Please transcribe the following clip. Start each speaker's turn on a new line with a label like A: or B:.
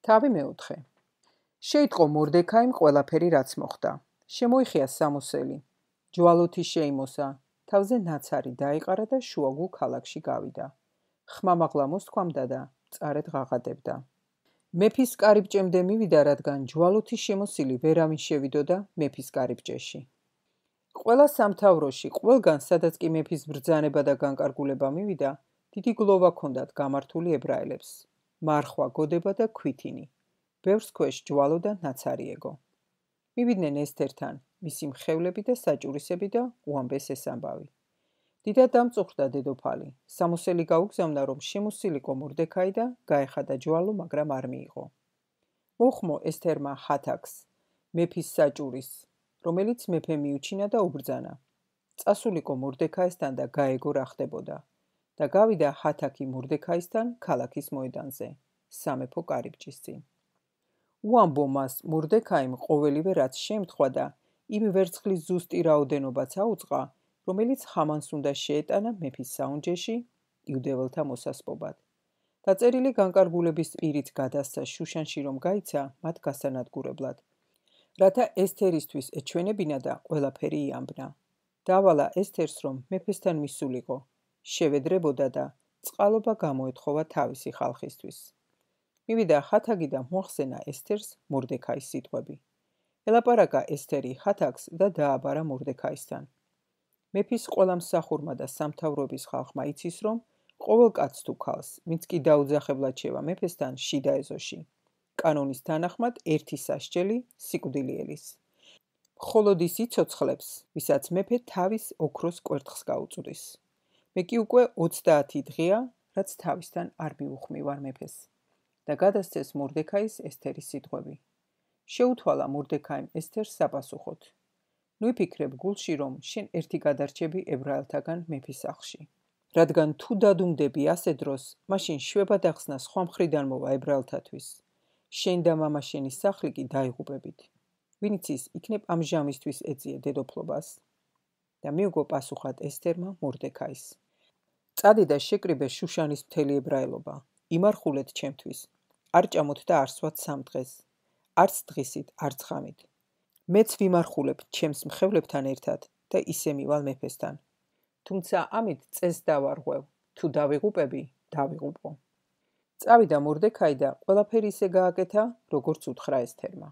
A: თავი მეოთხე. შეიტყო მორდექაიმ ყველაფერი რაც მოხდა. შემოიხია სამოსელი. ჯვალოთი შეიმოსა, თავზე ნაცარი დაიყარა და შუაგულ ქალაქში გავიდა. ხმამაღლა მოსთქვამდა და მწარედ ღაღადებდა. მეფის კარიბჭემდე მივიდა, რადგან ჯვალოთი შემოსილი ვერავინ შევიდოდა მეფის კარიბჭეში. ყველა სამთავროში, ყველგან, სადაც კი მეფის ბრძანება და განკარგულება მივიდა, დიდი გლოვა ჰქონდათ გამართული ებრაელებს. მარხვა, გოდება და ქვითინი. ბევრს ქვეშ ჯვალო და ნაცარი ეგო. მივიდნენ ესთერთან, მისი მხევლები და საჭურისები და უამბეს ეს ამბავი. დიდად დამწუხრდა დედოფალი. სამოსელი გაუგზავნა, რომ შემოსილიყო მორდექაი და გაეხადა ჯვალო, მაგრამ არ მიიღო. მოხმო ესთერმა ჰათაქს, მეფის საჭურის, რომელიც მეფე მიუჩინა და უბრძანა. წასულიყო მორდექაისთან და გაეგო რა ხდებოდა. და გავიდა ჰათაქი მორდექაისთან ქალაქის მოედანზე, სამეფო კარიბჭის წინ. უამბო მას მორდექაიმ ყოველივე რაც შემთხვდა და იმ ვერცხლის ზუსტი რაოდენობაც აუწყა, რომელიც ჰამანს უნდა შეეტანა მეფის საუნჯეში იუდეველთა მოსასპობად. დაწერილი განკარგულების პირით გადასცა შუშანში, რომ გაიცა მათ გასანადგურებლად, რათა ესთერისთვის ეჩვენებინა და ყველაფერი იამბნა. დავალა ესთერს, რომ მეფესთან მისულიყო, შევედრებოდა და წყალობა გამოეთხოვა თავისი ხალხისთვის. მივიდა ჰათაგი და მოახსენა ესთერს მორდექაის სიტყვები. ელაპარაკა ესთერი ჰათაქს და დააბარა მორდექაისთან. მეფის ყველა მსახურმა და სამთავროების ხალხმა იცის, რომ ყოველ კაცს თუ ქალს, ვინც კი დაუძახებლად შევა მეფესთან, შიდა ეზოში. კანონის თანახმად ერთი სასჯელი სიკვდილი ელის. მხოლოდ ის იცოცხლებს, ვისაც მეფე თავის ოქროს კვერთხს გაუწვდის. მე კი უკვე 30 დღეა, რაც თავისთან არ მიუხმივარ მეფეს. და გადასცეს მორდექაის ესთერის სიტყვები. შეუთვალა მორდექაიმ ესთერს საპასუხოდ. ნუ იფიქრებ გულში, რომ შენ ერთი გადარჩები ებრაელთაგან მეფის სახლში. რადგან თუ დადუმდები ასე დროს, მაშინ შვება დახსნა სხვა მხრიდან მოვა ებრაელთათვის. შენ და მამა შენის სახლი კი დაიღუპებით. ვინ იცის, იქნებ ამჟამისთვის ეწიე დედოფლობას. და მიუგო პასუხად ესთერმა მორდექაის. წადი და შეკრიბე შუშანის მთელი ებრაელობა. იმარხულეთ ჩემთვის. არ ჭამოთ და არ სვათ 3 დღეს. არც დღისით, არც ღამით. მეც ვიმარხულებ ჩემს მხევლებთან ერთად და ისე მივალ მეფესთან. თუმცა ამით წეს დავარღვევ, თუ დავიღუპები, დავიღუპო. წავიდა მორდექაი და ყველაფერი ისე გააკეთა, როგორც უთხრა ესთერმა.